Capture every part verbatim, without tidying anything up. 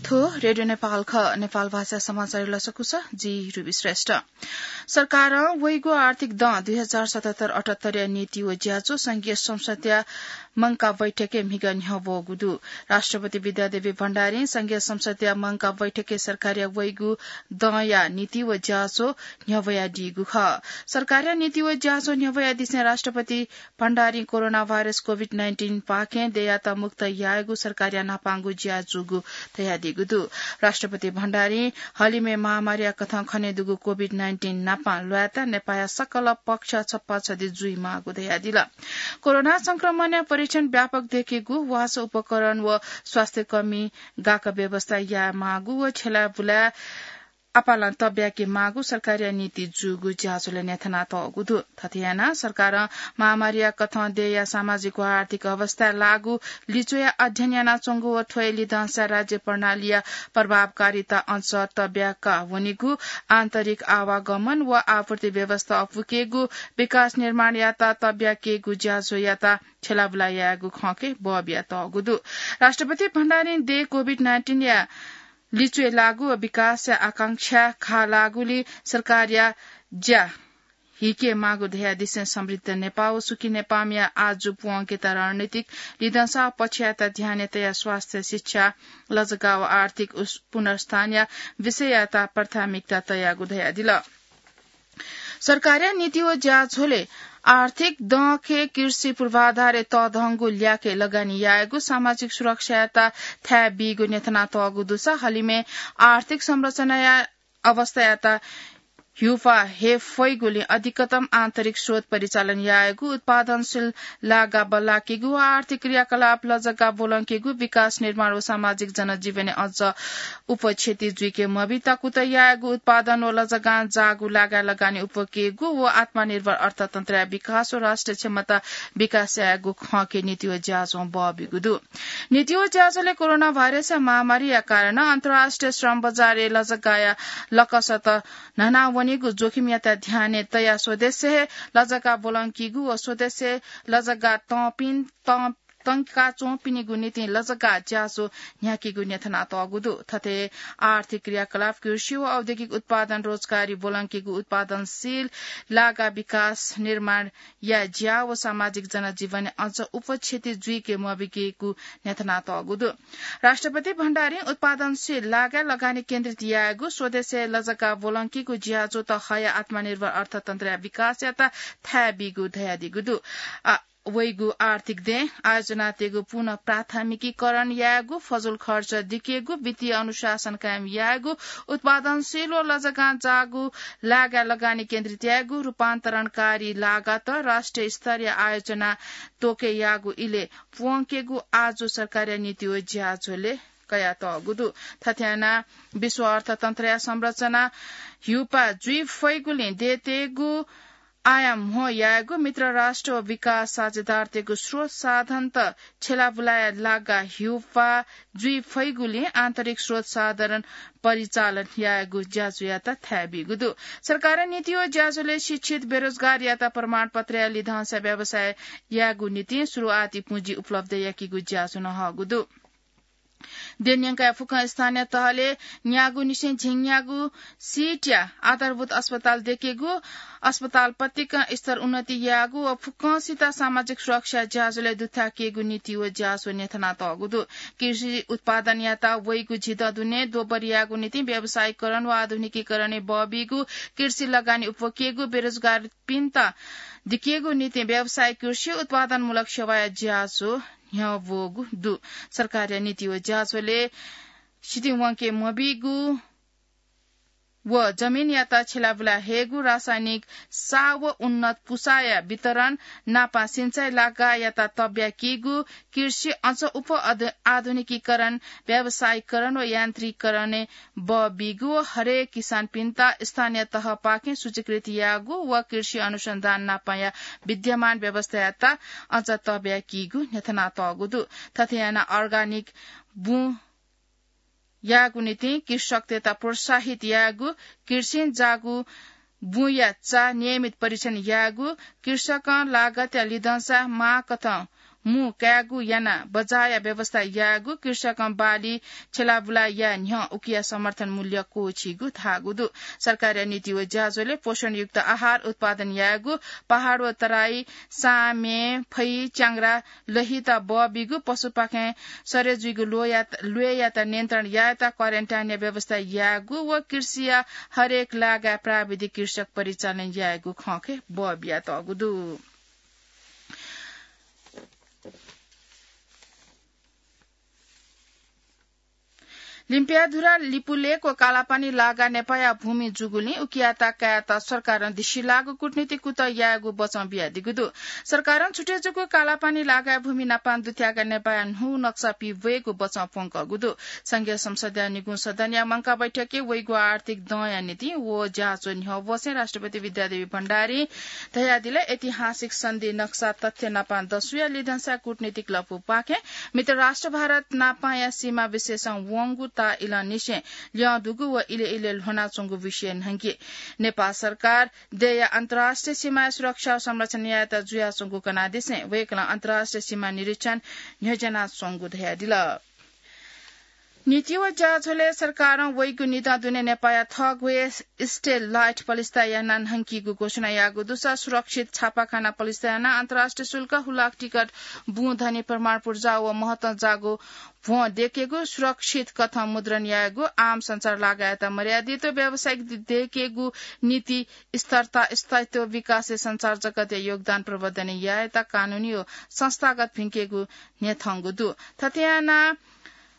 थ्व रेडियो नेपाल खः। नेपाल भाषा समाचार लसकुस, जि रुबी श्रेष्ठ। सरकारं वइगु आर्थिक दँ दुई हजार सतहत्तर अठहत्तरया नीति व ज्याझ्वः संघीय संसदया मंकाः बैठकय् म्हिगः न्ह्यब्वःगु दु। राष्ट्रपति विद्यादेवी भण्डारीं संघीय संसदया मंकाः बैठकय् सरकारया वइगु दँया नीति व ज्याझ्वः न्ह्यब्वयादीगु खः। सरकारया नीति व ज्याझ्वः न्ह्यब्वयादिसें राष्ट्रपति भण्डारीं कोरोना भाइरस कोभिड नाइन्टिन पाखें देय्‌यात मुक्त यायेगु सरकारया न्हापांगु ज्या जूगु धयादीगु दु। राष्ट्रपति भण्डारीं हलिमय् महामारीया कथं खनेदुगु कोभिड नाइन्टिन नापं ल्वायेत नेपाःया सकल पक्ष छप्पा छधी जुइमाःगु धयादिल। कोरोना संक्रमणया परीक्षण व्यापक देकेगु, वासः उपकरण व स्वास्थ्यकर्मी गाक्क व्यवस्था यायेमाःगु व छ्यलाबुलाय् आपालं तब्याकेमाःगु सरकारया नीति जूगु ज्याझ्वलय् न्ह्यथनातःगु दु। थथे यानाः सरकारं महामारीया कथं देय्‌या सामाजिक व आर्थिक अवस्थाय् लाःगु लिच्वया अध्ययन यानाच्वंगु व थ्वया लिधंसा राज्य प्रणालीया प्रभावकारिता अझ तब्याका वनीगु, आन्तरिक आवागमन व आपूर्ति व्यवस्था अपुकेगु, विकास निर्माणयात तब्याकेगु ज्याझ्वःयात छ्यलाबुला यायेगु खँके बः बियातःगु दु। राष्ट्रपति भण्डारीं देय् कोभिड नाइन्टिनया लिच्वय् लाःगु व विकासया आकांक्षा खा लाःगुलिं सरकारया ज्या हिकेमाःगु धयादिसें समृद्ध नेपाः व सुखी नेपाःया आजु प्वंकेत रणनीतिक लिधंसा पक्षयात ध्यानय् तयाः स्वास्थ्य, शिक्षा, लजगाः व आर्थिक उस-, पुनर्स्थानया विषययात प्राथमिकता तयागु धयादिल। सरकारया नीति व ज्याझ्वलय् आर्थिक दँखे कृषि पूर्वाधारय् तःधंगु ल्याखय् लगानी यायेगु, सामाजिक सुरक्षायात थाय् बीगु न्ह्यथनातःगु दुसा हलिमय् आर्थिक संरचनाया अवस्थायात ह्यूपाः हे फइगुलिं अधिकतम आन्तरिक स्रोत परिचालन यायेगु, उत्पादनशील लागा बल्लाकेगु व आर्थिक क्रियाकलाप लजगाः ब्वलंकेगु, विकास निर्माण व सामाजिक जनजीवनय् अझ उपक्षति जुइके मबीत कुतः यायेगु, उत्पादन व लजगां जाःगु लागाय् लगानी उपकेगु व आत्मनिर्भर अर्थतन्त्रया विकास व राष्ट्रिय क्षमता विकास यायेगु खँके नीति व ज्याझ्वलं बः बीगु दु। नीति व ज्याझ्वलय् कोरोना भाइरसया महामारीया कारणं अन्तर्राष्ट्रिय श्रम बजारय् लजगाःया लकसत न्हना वनीगु जोखिमयात ध्यानय् तयाः स्वदेशय् हे लजगाः ब्वलंकीगु व स्वदेशय् लजगाः तंपिं, तं-, तंकाच्वंपिनिगु निंतिं लजगाः ज्याझ्वः न्ह्याकीगु न्ह्यथनातःगु दु। थथे आर्थिक क्रियाकलाप, कृषि व औद्योगिक उत्पादन, रोजगारी ब्वलंकीगु, उत्पादनशील लागा विकास निर्माणया ज्या व सामाजिक जनजीवनय् अझ उपक्षति जुइके मबीकेगु न्ह्यथनातःगु दु। राष्ट्रपति भण्डारीं उत्पादनशील लागाय् लगानी केन्द्रित यायेगु, स्वदेशय् लजगाः ब्वलंकीगु ज्याझ्वःत हयाः आत्मनिर्भर अर्थतन्त्रया विकासयात थाय् बीगु धयादीगु दु। आ, वइगु आर्थिक देय् आयोजनातय्‌गु पुनः प्राथमिकीकरण यायेगु, फजुल खर्च दिकेगु, वित्तीय अनुशासन कायम यायेगु, उत्पादनशील व लजगां जाःगु लागाय् लगानी केन्द्रित यायेगु, रूपान्तरणकारी लागात राष्ट्रिय स्तरया आयोजना त्वके याःगु इलय् प्वंकेगु आजु सरकारया नीति व ज्याझ्वलय् कयातःगु दु। थथे यानाः विश्व अर्थतन्त्रया संरचना ह्यूपाः जुइ फइगुलिं देय्‌तय्‌गु आयाम म्हो यायेगु, मित्र राष्ट्र व विकास साझेदारतय्‌गु स्रोत साधनत छ्यलाबुलाया लागा ह्यूपाः जुइ फइगुलिं आन्तरिक स्रोत साधन परिचालन यायेगु ज्याझ्वःयात थाय् बीगु दु। सरकारया नीति व ज्याझ्वलय् शिक्षित बेरोजगारयात प्रमाणपत्रया लिधंसा व्यवसाय यायेगु निंतिं सुरुवाती पुँजी उपलब्ध याकीगु ज्याझ्वलं हःगु दु। देय् न्यंकाः फुक्कं स्थानीय तहलय् न्यागूनिसें झिंन्यागू सीटया आधारभूत अस्पताल दयेकेगु, अस्पताल पतिकं स्तर उन्नति यायेगु व फुक्कंसित सामाजिक सुरक्षा ज्याझ्वलय् दुथ्याकेगु नीति व ज्याझ्वः न्ह्यथनातःगु दु। कृषि उत्पादनयात वइगु झिदँ दुने दोबर यायेगु निंतिं व्यावसायीकरण व आधुनिकीकरणय् बः बीगु, कृषि लगानी उपकेगु, बेरोजगारपिन्त दिकेगु निंतिं व्यावसायिक कृषि उत्पादनमूलक सेवाया ज्याझ्वः न्ह्यब्वःगु दु। सरकारया नीति व ज्याझ्वलय् सितिं वंके मबीगु व जमिनयात छ्यलाबुला हयेगु, रासायनिक साः व उन्नत पुसाया वितरण नापं सिँचाइ लागायात तब्याकीगु, कृषि अझ उप अध-, आधुनिकीकरण, व्यावसायीकरण व यान्त्रिकीकरणय् बः बीगु व हरेक किसानपिन्त स्थानीय तहपाखें सूचीकृत याःगु व कृषि अनुसन्धान नापंया विद्यमान व्यवस्थायात अझ तब्याकीगु न्ह्यथनातःगु दु। थथे यानाः अर्गानिक बुँ यायेगु निंतिं कृषकतय्‌त प्रोत्साहित यायेगु, कृषिं जाःगु बुँया चा नियमित परीक्षण यायेगु, कृषकं लागतया लिधंसा माःकथं मू कायेगु यानाः बजारया व्यवस्था यायेगु, कृषकं बाली छेलाबुला याये न्ह्यः उकिया समर्थन मूल्य क्वःछीगु धाःगु दु। सरकारया नीति व ज्याझ्वलय् पोषणयुक्त आहार उत्पादन यायेगु, पहाड व तराई, सामे, फै, च्याङ्ग्रा, लहित बः बीगु, पशुपाखें सरे जुइगु ल्वय्‌यात, ल्वय्‌यात नियन्त्रण यायेत क्वारेन्टाइनया व्यवस्था यायेगु व कृषिया हरेक लागाय् प्राविधिक कृषक परिचालन यायेगु खँखे बः बियातःगु दु। लिम्पियाधुरा, लिपुलेक व कालापानी लागा नेपाःया भूमि जूगुलिं उकियात कायेत सरकारं दिसिलाःगु कूटनीतिक कुतः यायेगु बचं बियादीगु दु। सरकारं छुटे जूगु कालापानी लागाया भूमि नापं दुथ्याकाः नेपाःया न्हू नक्सा पिब्वयेगु बचं प्वंकःगु दु। संघीय संसदया निगू सदनया मंकाः बैठकय् वइगु आर्थिक दँया निंतिं व ज्याझ्वः न्ह्यब्वसें राष्ट्रपति विद्यादेवी भण्डारीं धयादिल, ऐतिहासिक सन्धि नक्सा तथ्य नापं दसुया लिधंसा कूटनीतिक लँपुपाखें मित्र राष्ट्र भारत नापंया सीमा विशेषं वंगु ता इलंनिसें ल्यं दुगु व इलय् इलय् ल्ह्वनाच्वंगु विषय न्हंके नेपाल सरकार देय्‌या अन्तर्राष्ट्रिय सीमाया सुरक्षा व संरक्षण यायेत जुयाच्वंगु कनादिसें वय्‌कलं अन्तर्राष्ट्रिय सीमा निरीक्षण न्ह्यज्यानाच्वंगु धयादिल। नीति व ज्याझ्वलय् सरकारं वइगु निदँ दुने नेपाःया थःग्वय् स्टेलाइट पलिस्था यानाः न्हंकीगु घोषणा याःगु दुसा सुरक्षित छापाखाना पलिस्था यानाः अन्तर्राष्ट्रिय शुल्क हुलाक टिकट बुँ धनी प्रमाण पुर्जा व महत्वं जाःगु भ्वं दय्‌केगु, सुरक्षित कथं मुद्रण यायेगु, आम संचार लागाय्‌यात मर्यादित व व्यावसायिक दय्‌केगु नीति स्थिरता, स्थायित्व, विकासय् संचार जगतया योगदान प्रवर्धन यायेत कानूनी व संस्थागत भिंकेगु न्ह्यथंगु दु। थथे यानाः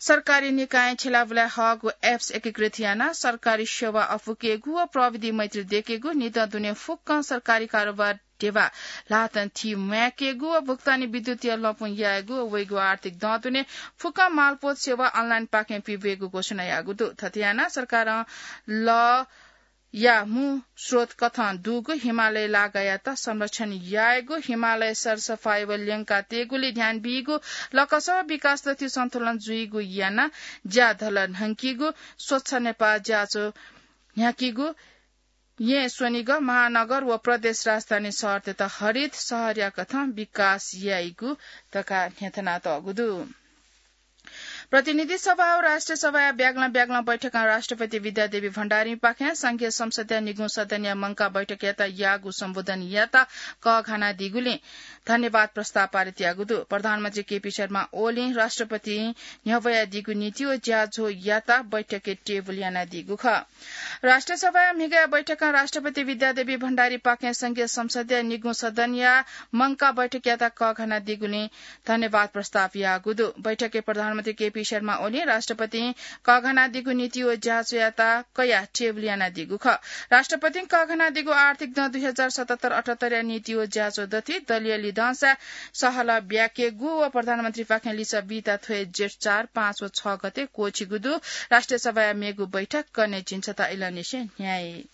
सरकारी निकायं छेलाबुलाय् हःगु एप्स एकीकृत यानाः सरकारी सेवा अफुकेगु व प्रविधि मैत्री दय्‌केगु, निदँ दुने फुक्कं सरकारी कारोबार ध्यबा ल्हातं थी म्वायेकेगु व भुक्तानी विद्युतीय लँपुं यायेगु व वइगु आर्थिक दँ दुने फुक्कं मालपोत सेवा अनलाइनपाखें पिब्वयेगु घोषणा याःगु दु। थथे यानाः सरकारं लःया मू स्रोत कथं दुगु हिमालय लागायात संरक्षण यायेगु, हिमालय सरसफाई व ल्यंका तयेगुली ध्यान बीगु, लकस व विकास दथुइ सन्तुलन जुइगु यानाः ज्याधल न्हंकीगु, स्वच्छ नेपाः ज्याझ्वः न्ह्याकीगु, येँ स्वनिगः महानगर व प्रदेश राजधानी शहरतय्‌त हरित शहरया कथं विकास याइगु धकाः न्ह्यथनातःगु दु। प्रतिनिधि सभा व राष्ट्रिय सभाया ब्यागलं ब्यागलं बैठकं राष्ट्रपति विद्यादेवी भण्डारीपाखें संघीय संसदया निगू सदनया मंकाः बैठकयात याःगु सम्बोधनयात कःघानादीगुलिं धन्यवाद प्रस्ताव पारित याःगु दु। प्रधानमन्त्री केपी शर्मा ओलीं राष्ट्रपतिं न्ह्यब्वयादीगु नीति व ज्याझ्वःयात बैठकय् टेबुल यानादीगु खः। राष्ट्रिय सभाया म्हिगःया बैठकं राष्ट्रपति विद्यादेवी भण्डारीपाखें संघीय संसदया निगू सदनया मंकाः बैठकयात कःघानादीगुलिं धन्यवाद प्रस्ताव याःगु दु। बैठकय् प्रधानमन्त्री केपी शर्मा ओलीं राष्ट्रपतिं कःघानादीगु नीति व ज्याझ्वःयात कयाः टेबुल यानादीगु खः। राष्ट्रपतिं कःघानादीगु आर्थिक दँ दुई हजार सतहत्तर अठहत्तरया नीति व ज्याझ्वः दथुइ दलीय लिधंसा सहलह ब्याकेगु व प्रधानमन्त्रीपाखें लिसः बीत थ्व हे जेठ चार, पाँच व छ गते क्वःछिगु दु। राष्ट्रिय सभाया मेगु बैठक कन्हय् झिंछता इलंनिसें न्ह्याइ।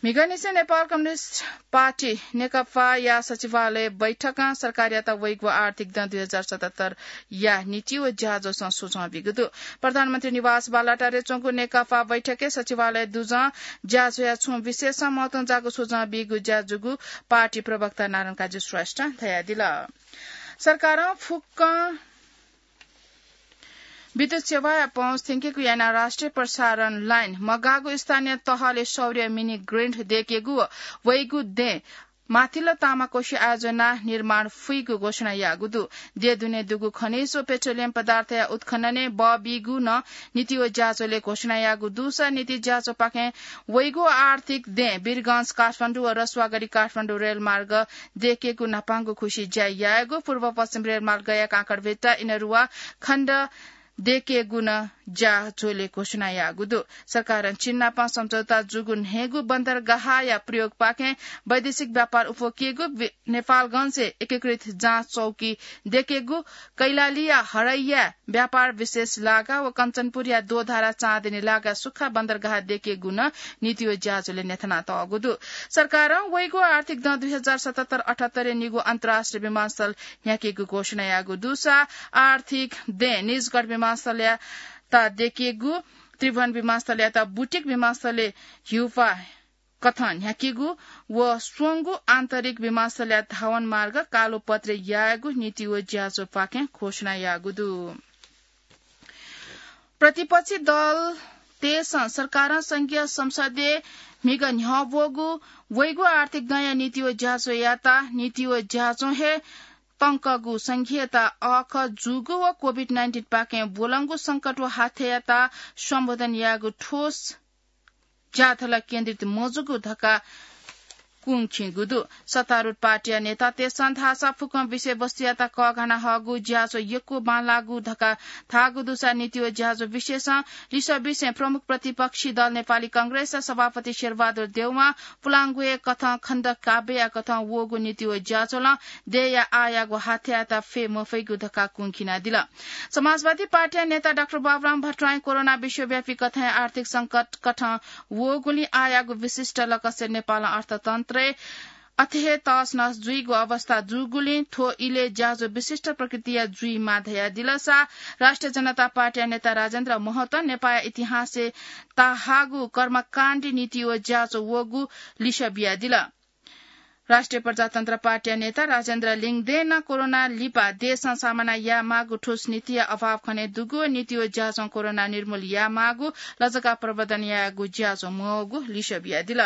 म्हिगःनिसें नेपाल कम्युनिस्ट पार्टी नेकपाया सचिवालय बैठकं सरकारयात वइगु आर्थिक दँ दुई हजार सतहत्तरया नीति व ज्याझ्वःसं सुझाव बीगु दु। प्रधानमन्त्री निवास बालुवाटारय् च्वंगु नेकपा बैठकय् सचिवालय दुजं ज्याझ्वःया छुं विषयसं महत्वं जाःगु सुझाव बीगु ज्याझ्वःगु पार्टी प्रवक्ता नारायण काजी श्रेष्ठं धयादिल। सरकारं फुक्कं विद्युत सेवाया पहुँच थ्यंकेगु यानाः राष्ट्रिय प्रसारण लाइन मगाःगु स्थानीय तहले सौर्य मिनी ग्रिड दय्‌केगु व वइगु दँय् माथिल्लो तामाकोशी आयोजना निर्माण फुइगु घोषणा याःगु दु। देय् दुने दुगु खनिज व पेट्रोलियम पदार्थया उत्खननय् बः बीगु नं नीति व ज्याझ्वलय् घोषणा याःगु दुसा नीति ज्याझ्वःपाखें वइगु आर्थिक दँय् वीरगंज काठमाडौं व रसुवागढी काठमाडौं रेलमार्ग दय्‌केगु न्हापांगु खुसि ज्या यायेगु, पूर्व पश्चिम रेलमार्गया काँकरभिट्टा इनरुवा खण्ड दय्‌केगु नं ज्याझ्वलय् घोषणा याःगु दु। सरकारं चीन नाप सम्झौता जूगु न्हय्‌गू बन्दरगाहया प्रयोगपाखें वैदेशिक व्यापार उफुकेगु, नेपालगंजय् एकीकृत जाँच चौकी दय्‌केगु, कैलालीया हरैया व्यापार विशेष लागा व कञ्चनपुरया दोधारा चाँदनी लागा सुख्खा बन्दरगाह दय्‌केगु नं नीति व ज्याझ्वलय् न्ह्यथनातःगु दु। सरकारं वइगु आर्थिक दँ दुई हजार सतहत्तर अठहत्तरय् निगू अन्तर्राष्ट्रिय विमानस्थल न्ह्याकेगु घोषणा याःगु दुसा आर्थिक दँय् निजगढ विमानस्थलयात दय्‌केगु, त्रिभुवन विमानस्थलयात बुटिक विमानस्थलय् हिउपा कथं न्ह्याकेगु व स्वंगु आन्तरिक विमानस्थलया धावन मार्ग कालोपत्रे यायेगु नीति व ज्याझ्वःपाखें घोषणा याःगु दु। प्रतिपक्षी दलतय्सं सरकारं संघीय संसदय् म्हिगः न्ह्यः ब्वःगु वइगु आर्थिक दँया नीति व ज्याझ्वःयात नीति व ज्याझ्वः हे तंकःगु संघीयता अःखः जूगु व कोभिड नाइन्टिन पाखें ब्वलंगु संकट व हाथ्यायात सम्बोधन यायेगु ठोस ज्याथल केन्द्रित मजूगु धकाः कुंखिंगु दु। सत्तारूढ पार्टीया नेतातय्सं धाःसा फुक्कं विषयवस्तुयात कःघाना हःगु ज्याझ्वः यक्व बांलाःगु धकाः धाःगु दुसा नीति व ज्याझ्वः विषयसं लिसः बिसें प्रमुख प्रतिपक्षी दल नेपाली कांग्रेसया सभापति शेरबहादुर देउवां पुलांगुया कथं खण्ड काव्यया कथं वःगु नीति व ज्याझ्वलं देय्या आःयागु हाथ्यायात फये मफइगु धकाः कुंखिनादिल। समाजवादी पार्टीया नेता डाक्टर बाबुराम भट्टराईं कोरोना विश्वव्यापी कथंया आर्थिक संकट कथं वःगुलिं आःयागु विशिष्ट लकसय् नेपालं अर्थतन्त्रय् अथे हे तहसनहस जुइगु अवस्था जूगुलिं थ्व इलय् ज्याझ्वः विशिष्ट प्रकृतिया जुइमाः धयादिलसा राष्ट्रिय जनता पार्टीया नेता राजेन्द्र महतं नेपाःया इतिहासय् ताःहाःगु कर्मकाण्डी नीति व ज्याझ्वः वःगु लिसः बियादिल। राष्ट्रिय प्रजातन्त्र पार्टीया नेता राजेन्द्र लिङदेनं कोरोना लिपा देशं सामना यायेमाःगु ठोस नीतिया अभाव खनेदुगु व नीति व ज्याझ्वलं कोरोना निर्मूल यायेमाःगु लजगाः प्रवर्धन यायेगु ज्याझ्वः मवःगु लिसः बियादिल।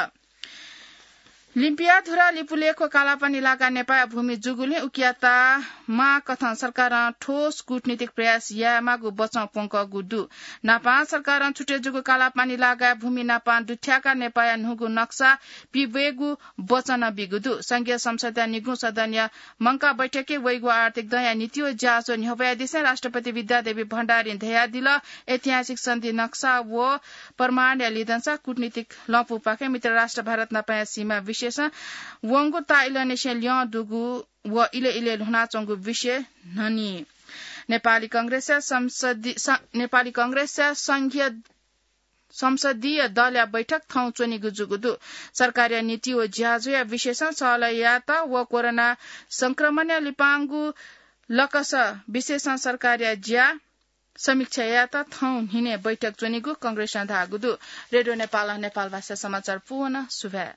लिम्पिया धुरा लिपुलेख्व कालापानी लागाय् नेपाःया भूमि जूगुलिं उकियात माःकथं सरकारं ठोस कूटनीतिक प्रयास यायेमाःगु बचं प्वंकःगु दु। नापां सरकारं छुटे जूगु कालापानी लागाय् भूमि नापां दुथ्याकाः नेपाःया न्हूगु नक्सा पिब्वयेगु बचं बीगु दु। संघीय संसदया निगू सदनया मंकाः बैठकय् वइगु आर्थिक दँया नीति व ज्याझ्वः न्ह्यब्वयादिसें राष्ट्रपति विद्यादेवी भण्डारीं धयादिल, ऐतिहासिक सन्धि नक्सा व प्रमाणया लिधंसा कूटनीतिक लँपुपाखें मित्र राष्ट्र भारत नापंया सीमा विषयसं वंगु ताःइलंनिसें ल्यं दुगु व इलय् इलय् ल्ह्वनाच्वंगु विषय न्हनी। नेपाली कांग्रेसया संसदि-, स-, नेपाली कांग्रेसया संघीय संसदीय दलया बैठक थौं च्वनीगु जूगु दु। सरकारया नीति व ज्याझ्वःया विषयसं सहलह यायेत व कोरोना संक्रमणया लिपांगु लकस विषयसं सरकारया ज्या समीक्षा यायेत थौं न्हिनय् बैठक च्वनीगु कांग्रेसं धाःगु दु। रेडियो नेपालं नेपालभाषा समाचार पूवन सुभाय्।